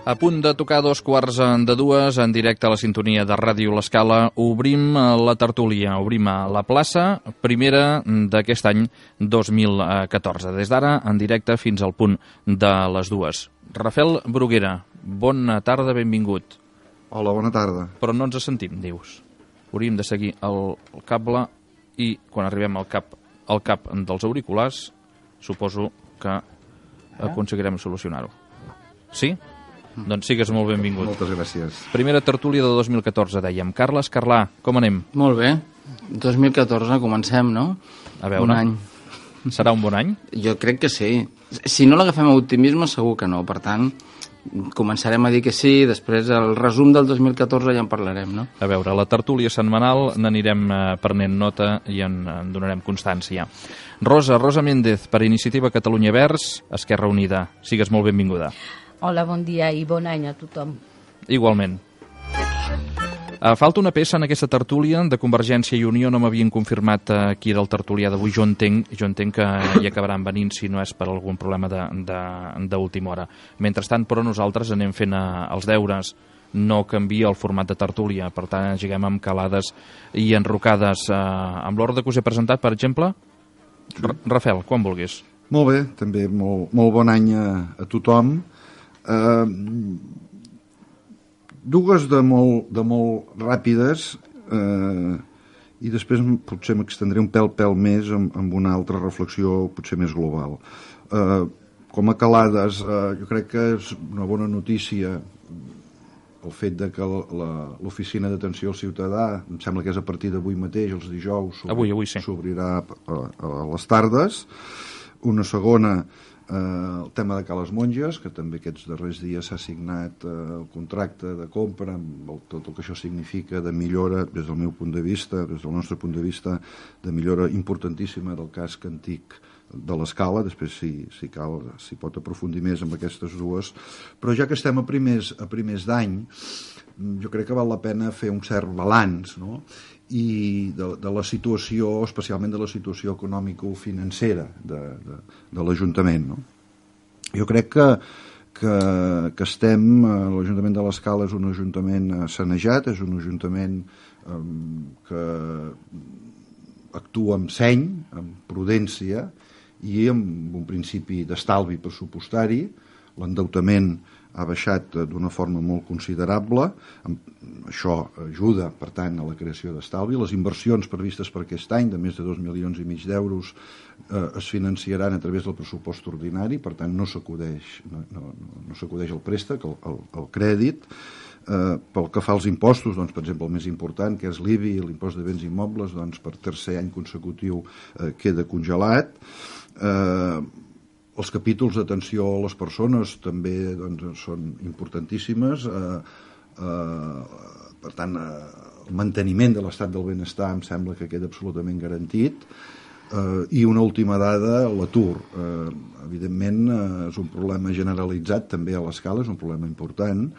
A punt de tocar 2:15 en directe a la sintonia de Ràdio L'Escala, obrim la tertúlia, obrim a la plaça, primera d'aquest any 2014. Des d'ara, en directe fins al punt de les 2. Rafael Bruguera, bona tarda, benvingut. Hola, bona tarda. Però no ens sentim, dius. Hauríem de seguir el cable i quan arribem al cap dels auriculars, suposo que aconseguirem solucionar-ho. Sí? Doncs sigues molt benvingut. Moltes gràcies. Primera tertúlia de 2014, dèiem. Carles Carlà, com anem? Molt bé. 2014, comencem, no? A veure. Un any. Serà un bon any? Jo crec que sí. Si no l'agafem a optimisme, segur que no. Per tant, començarem a dir que sí, després el resum del 2014 ja en parlarem, no? A veure, la tertúlia setmanal n'anirem prenent nota i en donarem constància. Rosa Méndez, per Iniciativa Catalunya Verds, Esquerra Unida. Sigues molt benvinguda. Hola, bon dia i bon any a tothom. Igualment. Falta una peça en aquesta tertúlia de Convergència i Unió, no m'havien confirmat qui era el tertulià d'avui. Jo entenc que hi acabaran venint si no és per algun problema d'última hora. Mentrestant, però, nosaltres anem fent els deures. No canvia el format de tertúlia, per tant, lleguem amb calades i enrocades. Amb l'ordre que us he presentat, per exemple, Rafael, quan vulguis. Molt bé, també molt bon any a tothom. Dues de molt ràpides i després potser m'extendré un pèl més amb una altra reflexió potser més global. Com a calades, jo crec que és una bona notícia el fet de que l'oficina d'atenció al ciutadà, em sembla que és a partir d'avui mateix, els dijous, avui sí, s'obrirà a les tardes. Una segona, el tema de Cales Monges, que també aquests darrers dies s'ha signat el contracte de compra amb tot el que això significa de millora des del meu punt de vista, des del nostre punt de vista, de millora importantíssima del casc antic de l'Escala. Després si cal s'hi pot aprofundir més amb aquestes dues, però ja que estem a primers d'any, jo crec que val la pena fer un cert balanç, no? I de la situació, especialment de la situació econòmico-financera de l'Ajuntament, no? Jo crec que estem, l'Ajuntament de l'Escala és un ajuntament sanejat, és un ajuntament que actua amb seny, amb prudència i amb un principi d'estalvi pressupostari. L'endeutament ha baixat d'una forma molt considerable. Això ajuda, per tant, a la creació d'estalvi. Les inversions previstes per aquest any, de més de 2,5 milions d'euros, es financiaran a través del pressupost ordinari, per tant, no s'acudeix al préstec, al crèdit. Pel que fa als impostos, doncs, per exemple, el més important, que és l'IBI, l'impost de béns immobles, doncs, per tercer any consecutiu queda congelat. Els capítols d'atenció a les persones també doncs, són importantíssimes. Per tant, el manteniment de l'estat del benestar em sembla que queda absolutament garantit. I una última dada, l'atur. Evidentment, és un problema generalitzat també a l'Escala, és un problema important,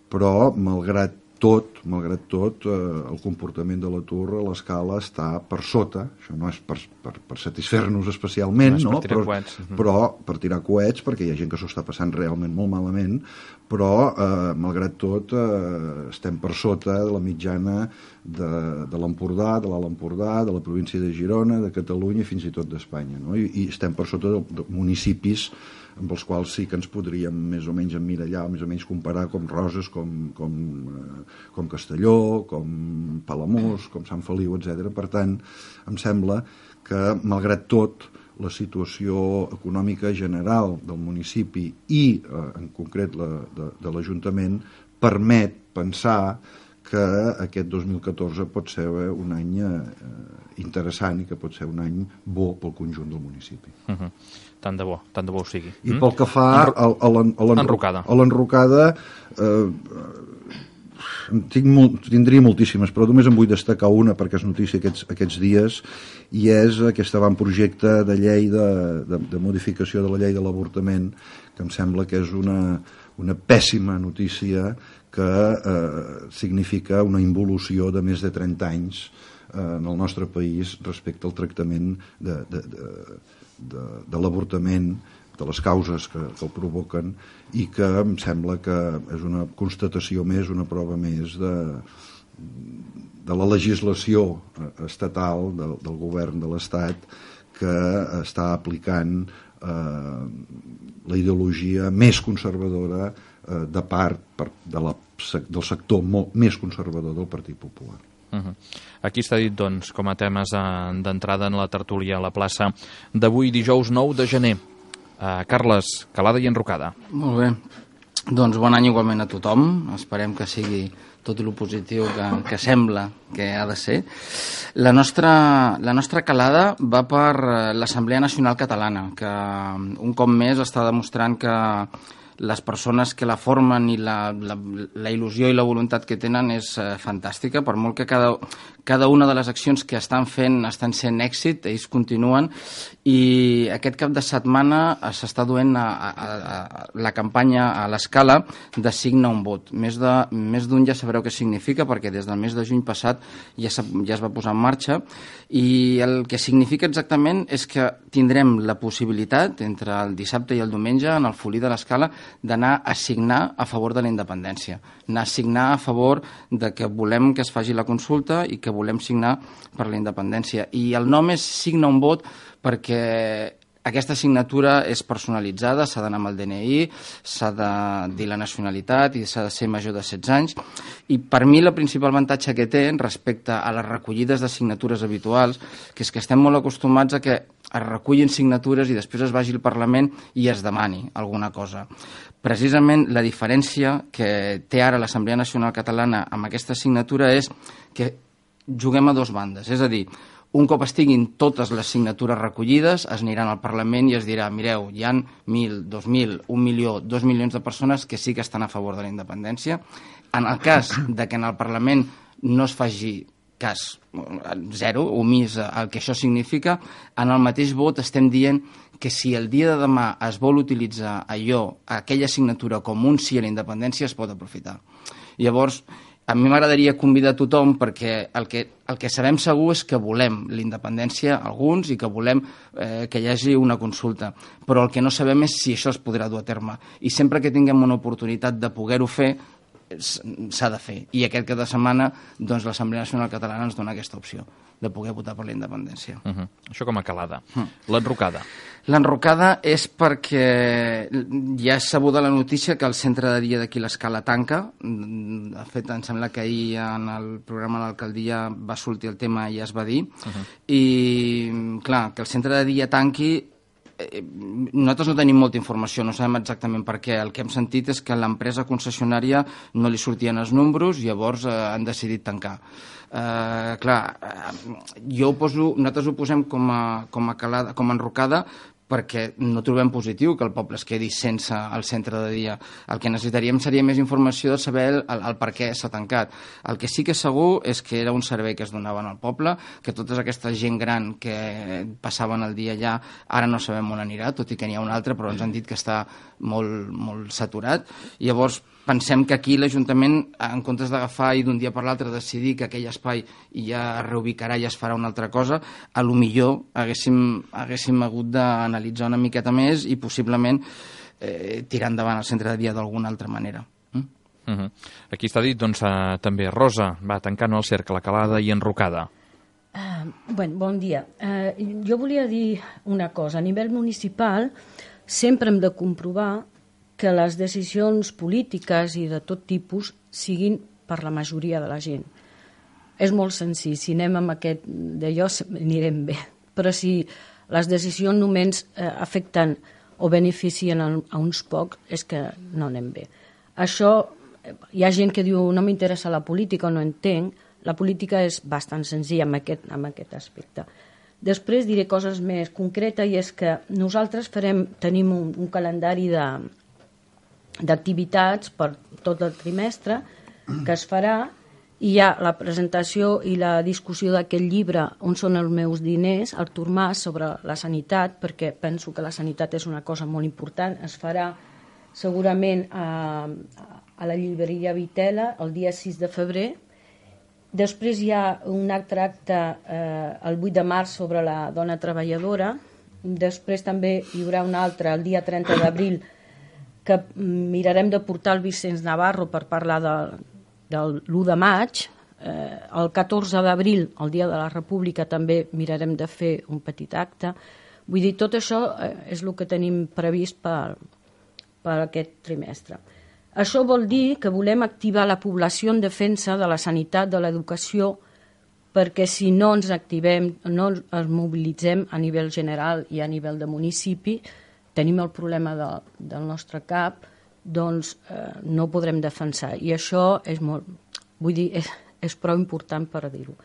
però malgrat tot, el comportament de l'atur a l'Escala està per sota. Això no és per satisfer-nos especialment, no? Però per tirar coets, perquè hi ha gent que s'ho està passant realment molt malament, però malgrat tot estem per sota de la mitjana de l'Empordà, de l'Alt Empordà, de la província de Girona, de Catalunya i fins i tot d'Espanya, no? I estem per sota de municipis amb els quals sí que ens podríem més o menys emmirallar, més o menys comparar, com Roses, com Castelló, com Palamós, com Sant Feliu, etc. Per tant, em sembla que, malgrat tot, la situació econòmica general del municipi i, en concret, de l'Ajuntament, permet pensar que aquest 2014 pot ser un any interessant i que pot ser un any bo pel conjunt del municipi. Tant de bo ho sigui. I pel que fa a l'enrocada, tindria moltíssimes, però només en vull destacar una perquè és notícia aquests dies, i és aquest avantprojecte de llei de modificació de la llei de l'avortament, que em sembla que és una pèssima notícia que significa una involució de més de 30 anys en el nostre país respecte al tractament de l'avortament, de les causes que el provoquen, i que em sembla que és una constatació més, una prova més de la legislació estatal del govern de l'Estat, que està aplicant la ideologia més conservadora de part del sector més conservador del Partit Popular. Aquí està dit, doncs, com a temes d'entrada en la tertúlia a la plaça d'avui, dijous 9 de gener. Carles, calada i enrocada. Molt bé. Doncs bon any igualment a tothom. Esperem que sigui tot el positiu que sembla que ha de ser. La nostra calada va per l'Assemblea Nacional Catalana, que un cop més està demostrant que les persones que la formen i la il·lusió i la voluntat que tenen és fantàstica, per molt que cada una de les accions que estan fent estan sent èxit, ells continuen, i aquest cap de setmana s'està duent la campanya a l'Escala de Signa un vot. Més d'un ja sabreu què significa, perquè des del mes de juny passat ja es va posar en marxa, i el que significa exactament és que tindrem la possibilitat, entre el dissabte i el diumenge, en el Folí de l'Escala, d'anar a signar a favor de la independència, anar a signar a favor de que volem que es faci la consulta i que volem signar per la independència. I el nom és Signa un vot perquè aquesta signatura és personalitzada, s'ha d'anar amb el DNI, s'ha de dir la nacionalitat i s'ha de ser major de 16 anys. I per mi el principal avantatge que té respecte a les recollides de signatures habituals, que és que estem molt acostumats a que es recullin signatures i després es vagi al Parlament i es demani alguna cosa. Precisament la diferència que té ara l'Assemblea Nacional Catalana amb aquesta signatura és que juguem a dues bandes, és a dir, un cop estiguin totes les signatures recollides, es aniran al Parlament i es dirà, mireu, hi ha 1.000, 2.000, 1 milió, 2 milions de persones que sí que estan a favor de la independència. En el cas de que en el Parlament no es faci cas zero, omís el que això significa, en el mateix vot estem dient que si el dia de demà es vol utilitzar aquella signatura com un sí a la independència, es pot aprofitar. Llavors, a mi m'agradaria convidar a tothom perquè el que sabem segur és que volem la independència alguns i que volem que hi hagi una consulta, però el que no sabem és si això es podrà dur a terme. I sempre que tinguem una oportunitat de poder-ho fer, s'ha de fer. I aquest cap de setmana doncs, l'Assemblea Nacional Catalana ens dona aquesta opció de poder votar per la independència. Això com a calada. L'enrocada. L'enrocada és perquè ja és sabuda la notícia que el centre de dia d'aquí l'Escala tanca. De fet, em sembla que ahir en el programa de l'alcaldia va sortir el tema i ja es va dir. I, clar, que el centre de dia tanqui, nosaltres no tenim molta informació, no sabem exactament per què. El que hem sentit és que a l'empresa concessionària no li sortien els números, llavors han decidit tancar. Nosaltres ho posem com a enrocada perquè no trobem positiu que el poble es quedi sense el centre de dia. El que necessitaríem seria més informació de saber el per què s'ha tancat. El que sí que és segur és que era un servei que es donava al poble, que tota aquesta gent gran que passaven el dia allà ara no sabem on anirà, tot i que n'hi ha un altre, però ens han dit que està molt, molt saturat. Llavors, pensem que aquí l'Ajuntament, en comptes d'agafar i d'un dia per l'altre decidir que aquell espai ja es reubicarà i es farà una altra cosa, a lo millor haguéssim hagut d'analitzar una miqueta més i possiblement tirar endavant el centre de dia d'alguna altra manera. Aquí està dit, doncs, també Rosa, va tancant el cercle, calada i enrocada. Bon dia. Jo volia dir una cosa. A nivell municipal sempre hem de comprovar que les decisions polítiques i de tot tipus siguin per la majoria de la gent. És molt senzill, si anem amb aquest d'allò anirem bé, però si les decisions només afecten o beneficien a uns pocs, és que no anem bé. Això, hi ha gent que diu no m'interessa la política o no entenc, la política és bastant senzilla en aquest aspecte. Després diré coses més concretes i és que nosaltres tenim un calendari d'activitats per tot el trimestre que es farà, i hi ha la presentació i la discussió d'aquest llibre On són els meus diners, Artur Mas, sobre la sanitat, perquè penso que la sanitat és una cosa molt important. Es farà segurament a la llibreria Vitela el dia 6 de febrer. Després hi ha un altre acte el 8 de març sobre la dona treballadora. Després també hi haurà un altre el dia 30 d'abril que mirarem de portar el Vicenç Navarro per parlar del l'1 de maig. El 14 d'abril, el dia de la República, també mirarem de fer un petit acte. Vull dir, tot això és el que tenim previst per aquest trimestre. Això vol dir que volem activar la població en defensa de la sanitat, de l'educació, perquè si no ens activem, no ens mobilitzem a nivell general i a nivell de municipi, tenim el problema del nostre cap, doncs no podrem defensar. I això és molt, vull dir, és prou important per dir-ho.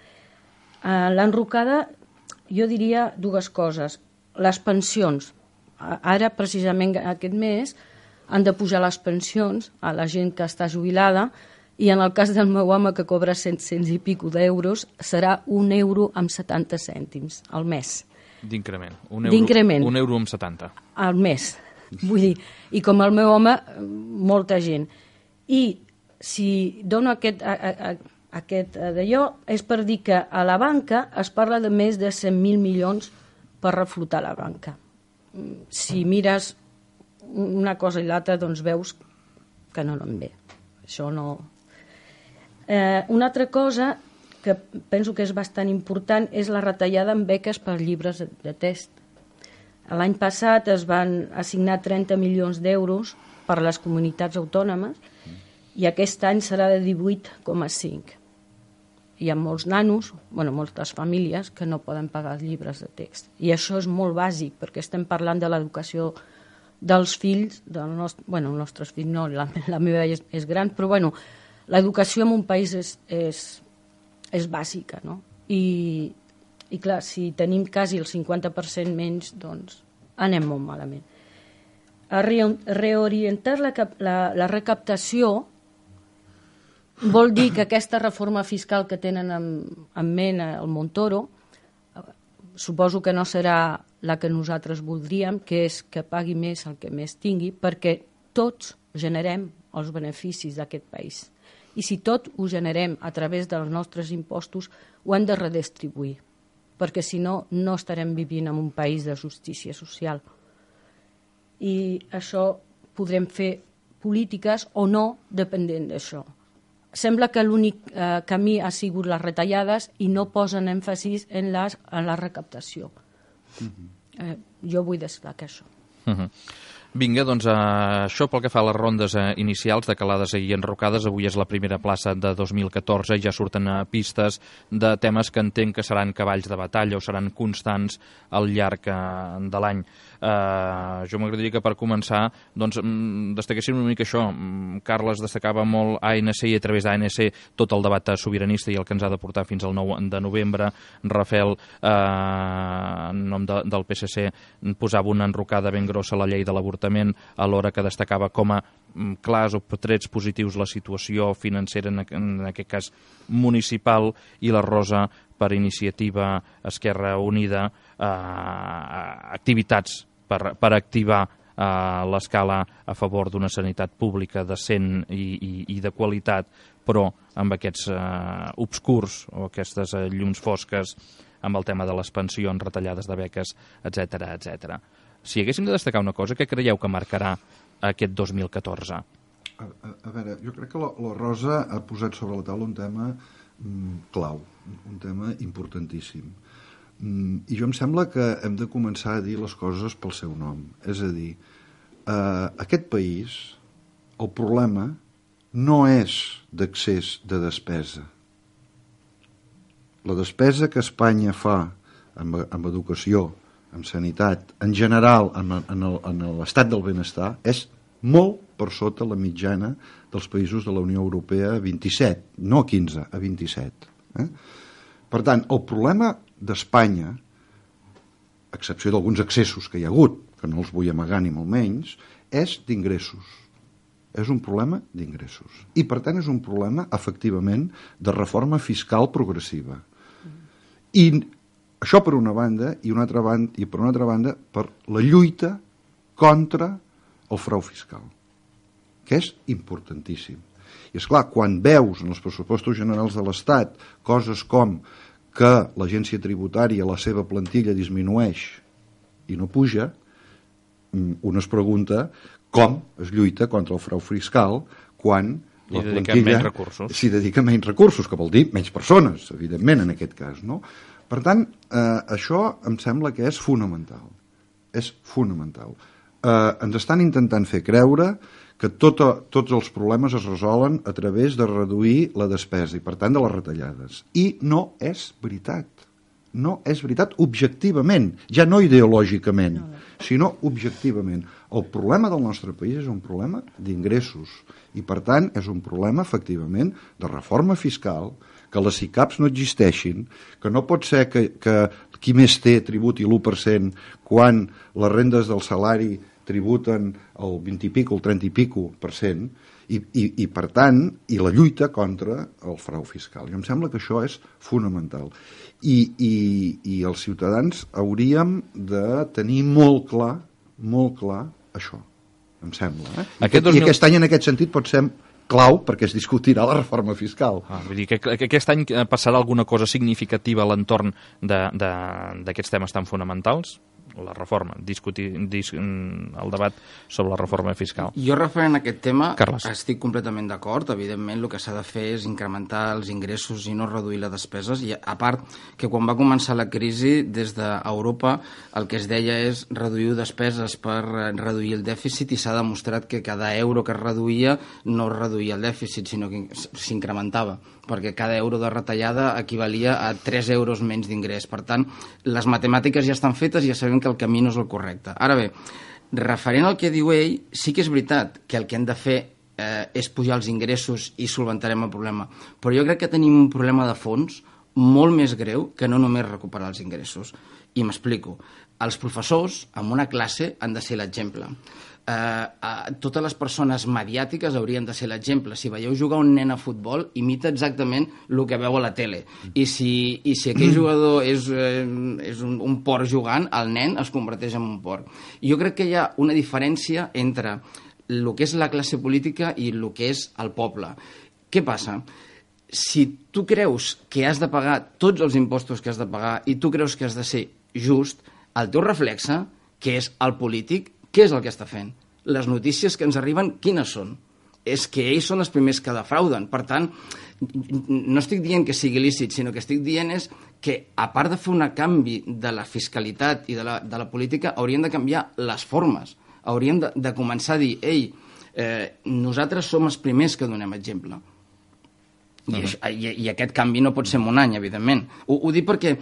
L'enrocada, jo diria dues coses. Les pensions. Ara, precisament aquest mes, han de pujar les pensions a la gent que està jubilada i en el cas del meu home, que cobra 700 i pico d'euros, serà 1 euro amb 70 cèntims al mes. D'increment. D'increment. 1 euro amb 70. Al mes. Vull dir, i com el meu home, molta gent. I si dono aquest d'allò, és per dir que a la banca es parla de més de 100.000 milions per reflotar la banca. Si mires una cosa i l'altra, doncs veus que no anem bé. Això no... Una altra cosa que penso que és bastant important és la retallada en beques per llibres de text. L'any passat es van assignar 30 milions d'euros per a les comunitats autònomes i aquest any serà de 18,5. Hi ha molts nanos, moltes famílies que no poden pagar els llibres de text. I això és molt bàsic, perquè estem parlant de l'educació dels fills, els nostres fills no, la meva és gran, però l'educació en un país és bàsica, no? I clar, si tenim quasi el 50% menys, doncs anem molt malament. Reorientar la recaptació vol dir que aquesta reforma fiscal que tenen en ment el Montoro, suposo que no serà la que nosaltres voldríem, que és que pagui més el que més tingui, perquè tots generem els beneficis d'aquest país. I si tot ho generem a través dels nostres impostos, ho hem de redistribuir, perquè si no, no estarem vivint en un país de justícia social. I això podrem fer polítiques o no depenent d'això. Sembla que l'únic camí ha sigut les retallades i no posen èmfasis en la recaptació. Jo vull destacar això. Vinga, doncs això pel que fa a les rondes inicials de calades i enrocades. Avui és la primera plaça de 2014 i ja surten pistes de temes que entenc que seran cavalls de batalla o seran constants al llarg de l'any. Jo m'agradaria que per començar destaquéssim una mica això. Carles destacava molt ANC i a través d'ANC tot el debat sobiranista i el que ens ha de portar fins al 9 de novembre. Rafael, en nom del PSC, posava una enrocada ben grossa a la llei de l'avortament, alhora que destacava com a clars o trets positius la situació financera, en aquest cas municipal, i la Rosa, per iniciativa Esquerra Unida, activitats per activar l'escala a favor d'una sanitat pública decent i de qualitat, però amb aquests obscurs o aquestes llums fosques amb el tema de les pensions, retallades de beques, etc. Si haguéssim de destacar una cosa, què creieu que marcarà aquest 2014? A veure, jo crec que la Rosa ha posat sobre la taula un tema clau, un tema importantíssim. I jo em sembla que hem de començar a dir les coses pel seu nom. És a dir, aquest país, el problema no és d'accés de despesa. La despesa que Espanya fa en educació, en sanitat, en general, en l'estat del benestar, és molt per sota la mitjana dels països de la Unió Europea, 27, no a 15, a 27. Per tant, el problema d'Espanya, a excepció d'alguns excessos que hi ha hagut, que no els vull amagar ni molt menys, és d'ingressos. és un problema d'ingressos. I, per tant, és un problema, efectivament, de reforma fiscal progressiva. I això per una banda, i per una altra banda, per la lluita contra el frau fiscal, que és importantíssim. I, esclar, quan veus en els pressupostos generals de l'Estat coses com que l'agència tributària, la seva plantilla disminueix i no puja, un es pregunta com es lluita contra el frau fiscal quan la plantilla s'hi dedica menys recursos, que vol dir menys persones, evidentment, en aquest cas, no? Per tant, això em sembla que és fonamental. És fonamental. Ens estan intentant fer creure que tots els problemes es resolen a través de reduir la despesa i, per tant, de les retallades. I no és veritat. No és veritat objectivament, ja no ideològicament, sinó objectivament. El problema del nostre país és un problema d'ingressos i, per tant, és un problema, efectivament, de reforma fiscal, que les SICAPs no existeixin, que no pot ser que qui més té tributi l'1% quan les rendes del salari tributen el 20 i pico, el 30 i pico % i per tant, i la lluita contra el frau fiscal. I em sembla que això és fonamental. I els ciutadans hauríem de tenir molt clar això, em sembla. I aquest any, en aquest sentit, pot ser clau perquè es discutirà la reforma fiscal. Vull dir que aquest any passarà alguna cosa significativa a l'entorn d'aquests temes tan fonamentals? La reforma, discutir el debat sobre la reforma fiscal. Jo referent a aquest tema Carles. Estic completament d'acord. Evidentment el que s'ha de fer és incrementar els ingressos i no reduir les despeses, i a part que quan va començar la crisi des d'Europa el que es deia és reduir despeses per reduir el dèficit, i s'ha demostrat que cada euro que es reduïa no reduïa el dèficit, sinó que s'incrementava, perquè cada euro de retallada equivalia a 3 euros menys d'ingrés. Per tant, les matemàtiques ja estan fetes i ja sabem que el camí no és el correcte. Ara bé, referent al que diu ell, sí que és veritat que el que hem de fer és pujar els ingressos i solventarem el problema, però jo crec que tenim un problema de fons molt més greu que no només recuperar els ingressos. I m'explico. Els professors, en una classe, han de ser l'exemple. Totes les persones mediàtiques haurien de ser l'exemple. Si veieu jugar un nen a futbol, imita exactament el que veu a la tele, i si aquell jugador és un porc jugant, el nen es converteix en un porc. Jo crec que hi ha una diferència entre el que és la classe política i el que és el poble. Què passa? Si tu creus que has de pagar tots els impostos que has de pagar i tu creus que has de ser just, el teu reflexe, que és el polític, què és el que està fent? Les notícies que ens arriben, quines són? És que ells són els primers que defrauden. Per tant, no estic dient que sigui lícit, sinó que estic dient és que, a part de fer un canvi de la fiscalitat i de la política, haurien de canviar les formes. Haurien de començar a dir, nosaltres som els primers que donem exemple. I aquest canvi no pot ser en un any, evidentment. Ho dic perquè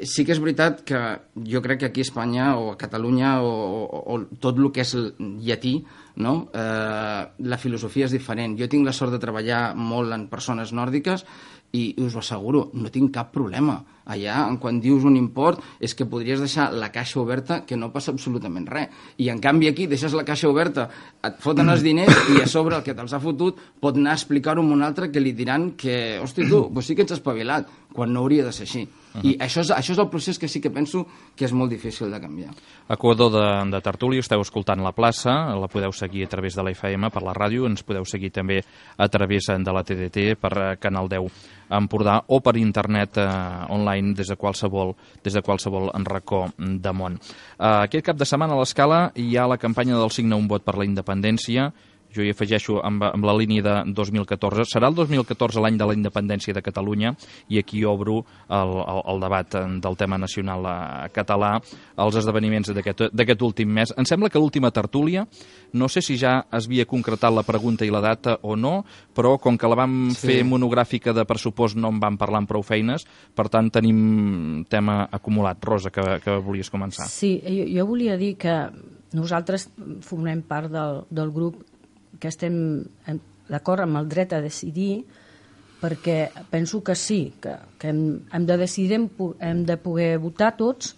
sí que és veritat que jo crec que aquí a Espanya o a Catalunya o tot el que és llatí, no? La filosofia és diferent. Jo tinc la sort de treballar molt en persones nòrdiques i us ho asseguro, no tinc cap problema. Allà, quan dius un import, és que podries deixar la caixa oberta, que no passa absolutament res. I, en canvi, aquí deixes la caixa oberta, et foten els diners i a sobre el que te'ls ha fotut pot anar a explicar-ho a un altre que li diran que, hosti, tu, pues sí que ets espavilat, quan no hauria de ser així. I això és el procés que sí que penso que és molt difícil de canviar. Equador de Tertúlia, esteu escoltant La Plaça, la podeu seguir a través de la FM per la ràdio, ens podeu seguir també a través de la TDT per Canal 10 Empordà o per internet online des de qualsevol racó de món. Aquest cap de setmana a l'Escala hi ha la campanya del Signa un vot per la independència. Jo hi afegeixo amb la línia de 2014. Serà el 2014 l'any de la independència de Catalunya i aquí obro el debat del tema nacional català, els esdeveniments d'aquest últim mes. Em sembla que l'última tertúlia, no sé si ja es havia concretat la pregunta i la data o no, però com que la vam fer monogràfica de pressupost no en vam parlar amb prou feines, per tant tenim tema acumulat. Rosa, que volies començar. Sí, jo volia dir que nosaltres formem part del grup que estem d'acord amb el dret a decidir, perquè penso que sí, que hem de decidir, hem de poder votar tots,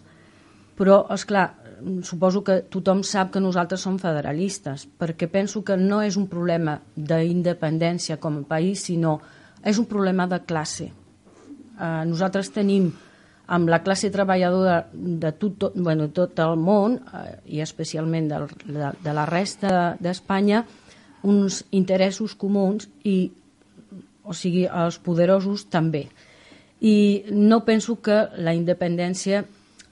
Però, esclar, suposo que tothom sap que nosaltres som federalistes, perquè penso que no és un problema d'independència com a país, sinó és un problema de classe. Nosaltres tenim, amb la classe treballadora de tot el món, i especialment de la resta d'Espanya, uns interessos comuns, o sigui, els poderosos també. I no penso que la independència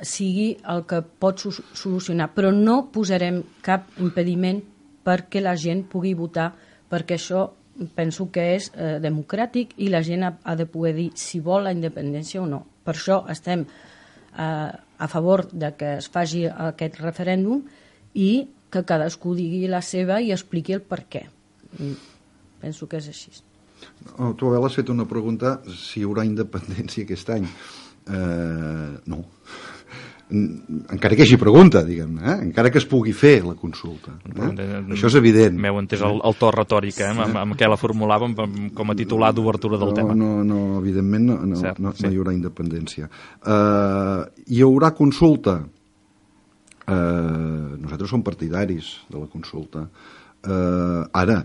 sigui el que pot solucionar, però no posarem cap impediment perquè la gent pugui votar, perquè això penso que és democràtic i la gent ha de poder dir si vol la independència o no. Per això estem a favor de que es faci aquest referèndum i que cadascú digui la seva i expliqui el per què. Penso que és així. Tu, Abel, has fet una pregunta si hi haurà independència aquest any. No. Encara que hi hagi pregunta, diguem-ne, encara que es pugui fer la consulta. Això és evident. M'heu entès el to retòric, amb què la formulàvem com a titular d'obertura del tema. No, evidentment no hi haurà independència. Hi haurà consulta? Nosaltres som partidaris de la consulta. Ara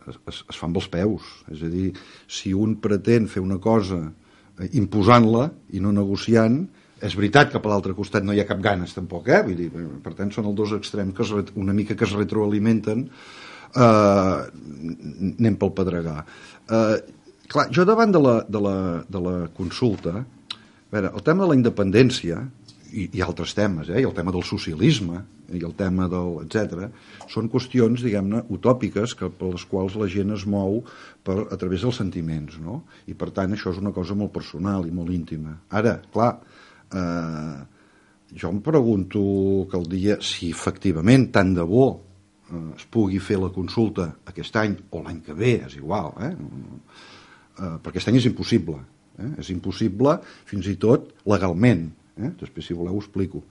es fa amb els peus, és a dir, si un pretén fer una cosa imposant-la i no negociant, és veritat que per l'altre costat no hi ha cap ganes tampoc, vull dir, per tant són els dos extrems que una mica que es retroalimenten. Anem pel pedregar. Clar, jo davant de la consulta, a veure, el tema de la independència i altres temes, i el tema del socialisme i el tema del etc., són qüestions, diguem-ne, utòpiques per les quals la gent es mou a través dels sentiments, no? I per tant això és una cosa molt personal i molt íntima. Ara, clar, jo em pregunto que el dia, si efectivament tant de bo es pugui fer la consulta aquest any o l'any que ve, és igual, perquè aquest any és impossible, és impossible fins i tot legalment, després si voleu ho explico.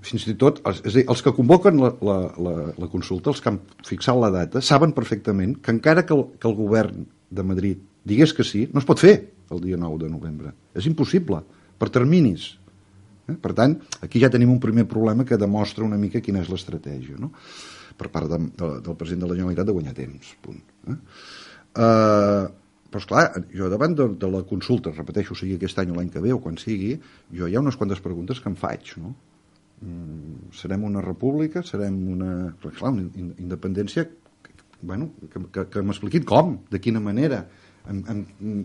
Fins i tot, és a dir, els que convoquen la consulta, els que han fixat la data, saben perfectament que encara que el govern de Madrid digués que sí, no es pot fer el dia 9 de novembre. És impossible, per terminis. Per tant, aquí ja tenim un primer problema que demostra una mica quina és l'estratègia, no? Per part del president de la Generalitat de guanyar temps, punt. Però, esclar, jo davant de la consulta, repeteixo, sigui aquest any o l'any que ve o quan sigui, jo hi ha unes quantes preguntes que em faig, no? Serem una república? Serem una... Però, clar, una independència, bueno, que m'expliquin com, de quina manera,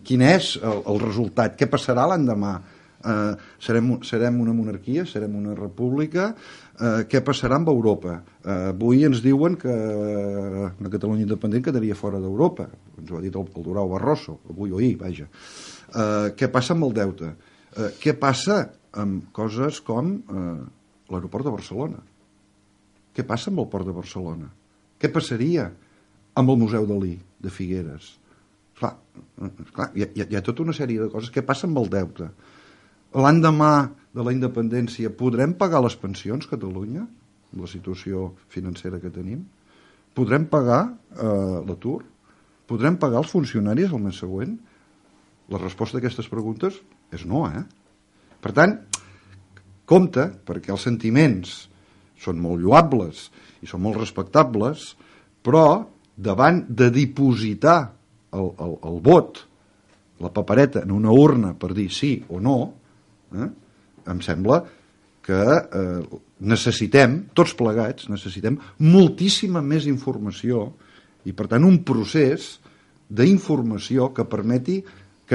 quin és el resultat, què passarà l'endemà, serem una monarquia, serem una república, què passarà amb Europa? Avui ens diuen que una Catalunya independent quedaria fora d'Europa, ens ho ha dit el Durão Barroso, avui o ahir, vaja. Què passa amb el deute? Què passa amb coses com l'aeroport de Barcelona? Què passa amb el port de Barcelona? Què passaria amb el Museu Dalí de Figueres? Clar, hi ha tota una sèrie de coses. Què passa amb el deute? L'endemà de la independència podrem pagar les pensions, Catalunya, amb la situació financera que tenim? Podrem pagar l'atur? Podrem pagar els funcionaris el mes següent? La resposta a aquestes preguntes és no, Per tant, compte, perquè els sentiments són molt lloables i són molt respectables, però davant de dipositar el vot, la papereta en una urna per dir sí o no, em sembla que necessitem, tots plegats, necessitem moltíssima més informació i, per tant, un procés d'informació que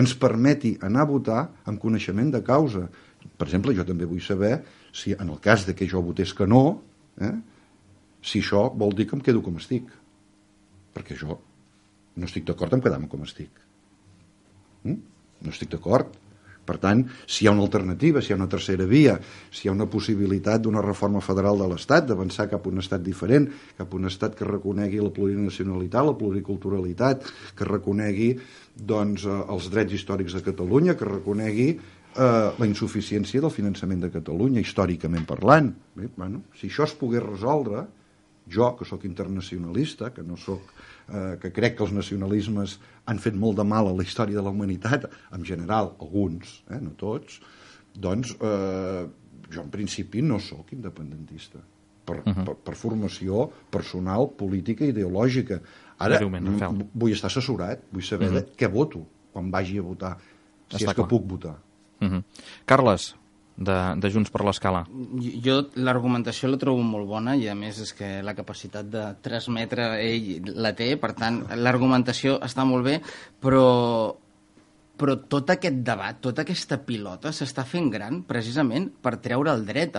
ens permeti anar a votar amb coneixement de causa. Per exemple, jo també vull saber si, en el cas de que jo votés que no, si això vol dir que em quedo com estic. Perquè jo no estic d'acord amb quedar-me com estic. No estic d'acord. Per tant, si hi ha una alternativa, si hi ha una tercera via, si hi ha una possibilitat d'una reforma federal de l'Estat, d'avançar cap a un estat diferent, cap a un estat que reconegui la plurinacionalitat, la pluriculturalitat, que reconegui els drets històrics de Catalunya, que reconegui la insuficiència del finançament de Catalunya, històricament parlant. Si això es pogués resoldre, jo, que sóc internacionalista, que crec que els nacionalismes han fet molt de mal a la història de la humanitat, en general, alguns, no tots, doncs jo en principi no sóc independentista per formació personal, política i ideològica. Ara vull estar assessorat, vull saber què voto quan vagi a votar, si és que puc votar. Carles, de Junts per l'Escala. Jo l'argumentació la trobo molt bona i a més és que la capacitat de transmetre ell la té, per tant l'argumentació està molt bé, però tot aquest debat, tota aquesta pilota s'està fent gran precisament per treure el dret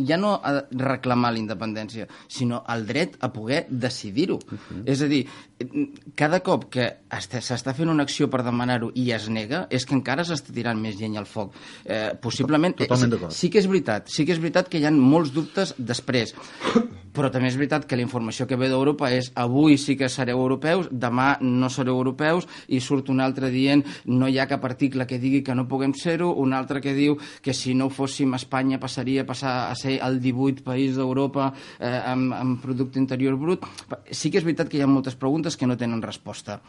ja no a reclamar la independència, sinó el dret a poder decidir-ho. És a dir, cada cop que s'està fent una acció per demanar-ho i es nega, és que encara s'està tirant més llenya al foc. Possiblement, sí que és veritat que hi ha molts dubtes després, però també és veritat que la informació que ve d'Europa és avui sí que sereu europeus, demà no sereu europeus, i surt un altre dient no hi ha cap article que digui que no puguem ser-ho, un altre que diu que si no fóssim Espanya passaria a ser el 18 país d'Europa amb producte interior brut. Sí que és veritat que hi ha moltes preguntes que no tenen resposta,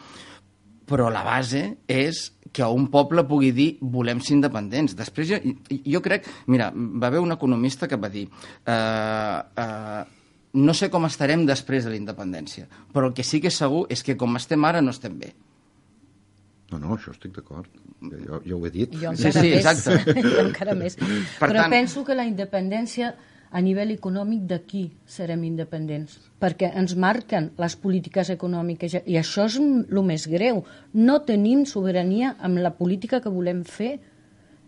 però la base és que un poble pugui dir volem ser independents. Després jo crec, mira, va haver un economista que va dir no sé com estarem després de la independència, però el que sí que és segur és que com estem ara no estem bé. No, això estic d'acord. Jo ho he dit. Jo encara més. Exacte. Jo encara més. Però penso que la independència a nivell econòmic d'aquí serem independents, perquè ens marquen les polítiques econòmiques i això és el més greu. No tenim sobirania amb la política que volem fer.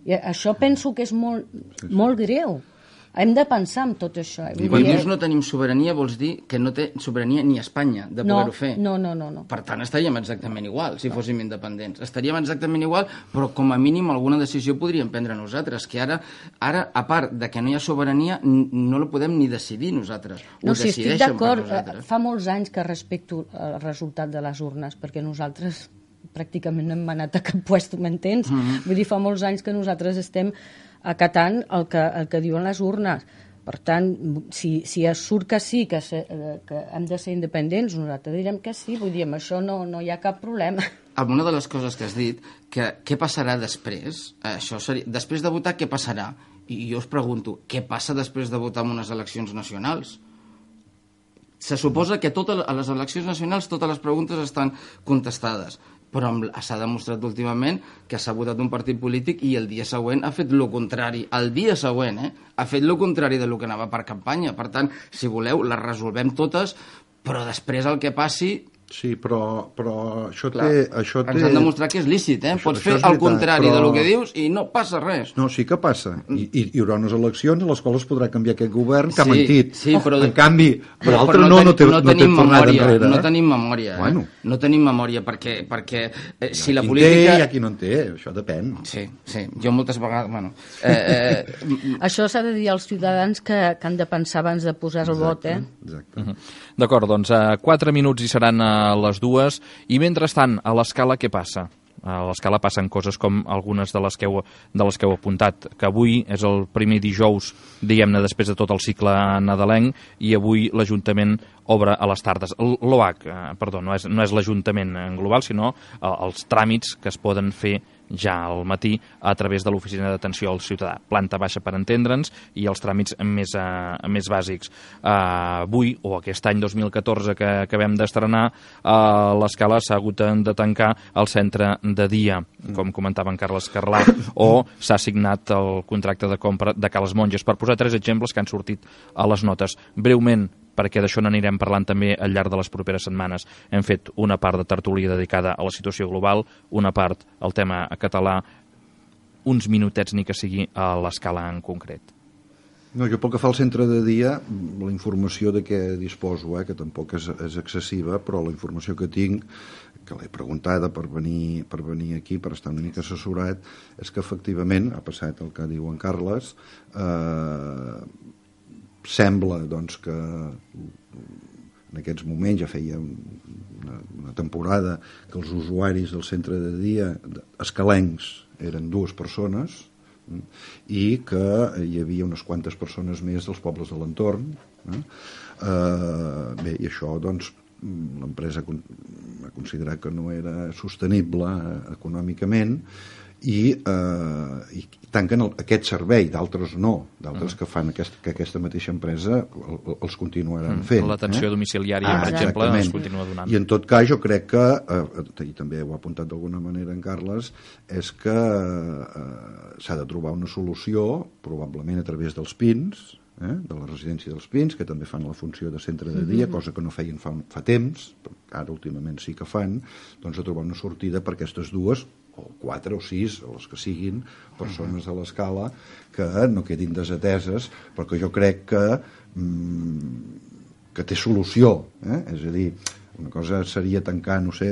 I això penso que és molt greu. Hem de pensar en tot això. Quan dius no tenim sobirania vols dir que no té sobirania ni Espanya de poder-ho fer. No. Per tant, estaríem exactament igual si fóssim independents. Estaríem exactament igual, però com a mínim alguna decisió podríem prendre nosaltres, que ara a part de que no hi ha sobirania, no la podem ni decidir nosaltres. No, si estic d'acord. Fa molts anys que respecto el resultat de les urnes, perquè nosaltres pràcticament no hem anat a cap puesto, m'entens? Vull dir, fa molts anys que nosaltres estem acatant el que diuen les urnes. Per tant, si es surt que sí, que hem de ser independents, nosaltres direm que sí, vull dir, amb això no hi ha cap problema. Una de les coses que has dit, que què passarà després, després de votar, què passarà? I jo us pregunto, què passa després de votar en unes eleccions nacionals? Se suposa que a les eleccions nacionals totes les preguntes estan contestades, però s'ha demostrat últimament que s'ha votat un partit polític i el dia següent ha fet el contrari. El dia següent, ha fet el contrari del que anava per campanya. Per tant, si voleu, les resolvem totes, però després el que passi... Sí, però això té... Ens han demostrat que és lícit, Pots fer el contrari del que dius i no passa res. No, sí que passa. I hi haurà unes eleccions a les quals es podrà canviar aquest govern que ha mentit. Sí, però... En canvi, l'altre no té tornada enrere. No tenim memòria, Bueno. No tenim memòria, perquè si la política... Hi ha qui no en té, això depèn. Sí, jo moltes vegades... Bueno, això s'ha de dir als ciutadans que han de pensar abans de posar el vot, Exacte. D'acord, doncs 4 minuts hi seran a les 2, i mentrestant, a l'Escala què passa? A l'Escala passen coses com algunes de les que heu apuntat, que avui és el primer dijous, diguem-ne, després de tot el cicle nadalenc, i avui l'Ajuntament obre a les tardes. L'OAC, perdó, no és l'Ajuntament en global, sinó els tràmits que es poden fer ja al matí a través de l'Oficina d'Atenció al Ciutadà. Planta baixa per entendre'ns i els tràmits més bàsics. Avui, o aquest any 2014 que acabem d'estrenar, l'Escala s'ha hagut de tancar el centre de dia, com comentava en Carles Carlà, o s'ha signat el contracte de compra de Cales Monges, per posar 3 exemples que han sortit a les notes. Breument, perquè d'això n'anirem parlant també al llarg de les properes setmanes. Hem fet una part de tertúlia dedicada a la situació global, una part al tema català, uns minutets ni que sigui a l'Escala en concret. No, jo pel que fa al centre de dia, la informació de què disposo, que tampoc és excessiva, però la informació que tinc, que l'he preguntada per venir aquí, per estar una mica assessorat, és que efectivament ha passat el que diu en Carles, sembla doncs, que en aquests moments ja feia una temporada que els usuaris del centre de dia escalencs eren 2 persones i que hi havia unes quantes persones més dels pobles de l'entorn. Bé, i això doncs l'empresa ha considerat que no era sostenible econòmicament i tanquen aquest servei, d'altres no, d'altres que fan que aquesta mateixa empresa els continuaran fent. L'atenció domiciliària, per exemple, es continua donant. I en tot cas jo crec que, i també ho ha apuntat d'alguna manera en Carles, és que s'ha de trobar una solució, probablement a través dels PINs, de la residència dels Pins, que també fan la funció de centre de dia, cosa que no feien fa temps, ara últimament sí que fan, doncs a trobar una sortida per aquestes dues, o 4 o 6, o les que siguin, persones de l'escala que no quedin desateses, perquè jo crec que té solució. És a dir, una cosa seria tancar, no sé,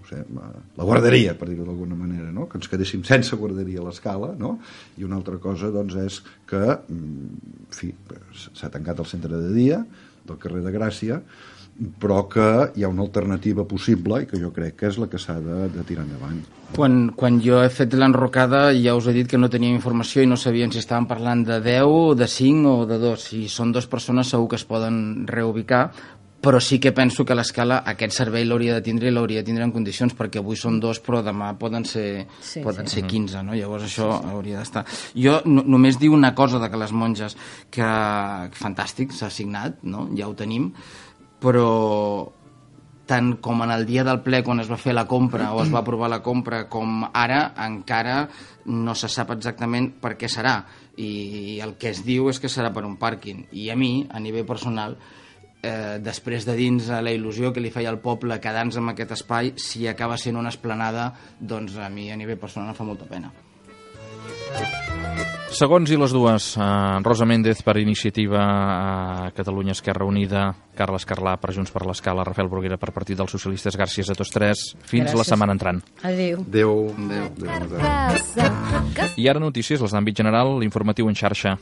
la guarderia, per dir-ho d'alguna manera, no? Que ens quedéssim sense guarderia a l'escala, no? I una altra cosa doncs, és que s'ha tancat el centre de dia del carrer de Gràcia, però que hi ha una alternativa possible i que jo crec que és la que s'ha de tirar endavant. Quan jo he fet l'enrocada ja us he dit que no teníem informació i no sabien si estaven parlant de 10, de 5 o de 2. Si són 2 persones segur que es poden reubicar, però sí que penso que l'escala aquest servei l'hauria de tindre i l'hauria de tindre en condicions, perquè avui són 2 però demà poden ser 15, no? Llavors això hauria d'estar. Jo només dic una cosa de que les monges, que fantàstic, s'ha signat, no? Ja ho tenim, però tant com en el dia del ple quan es va fer la compra o es va aprovar la compra com ara, encara no se sap exactament per què serà, i el que es diu és que serà per un pàrquing, i a mi, a nivell personal, després de dins la il·lusió que li feia al poble quedar-nos amb aquest espai, si acaba sent una esplanada, doncs a mi a nivell personal em fa molta pena. Segons i les dues, Rosa Méndez per Iniciativa Catalunya Esquerra Unida, Carles Carlà per Junts per l'Escala, Rafael Bruguera per Partit dels Socialistes. Gràcies a tots 3. Fins la setmana entrant. Adéu. Adéu. I ara notícies, les d'àmbit general, l'informatiu en xarxa.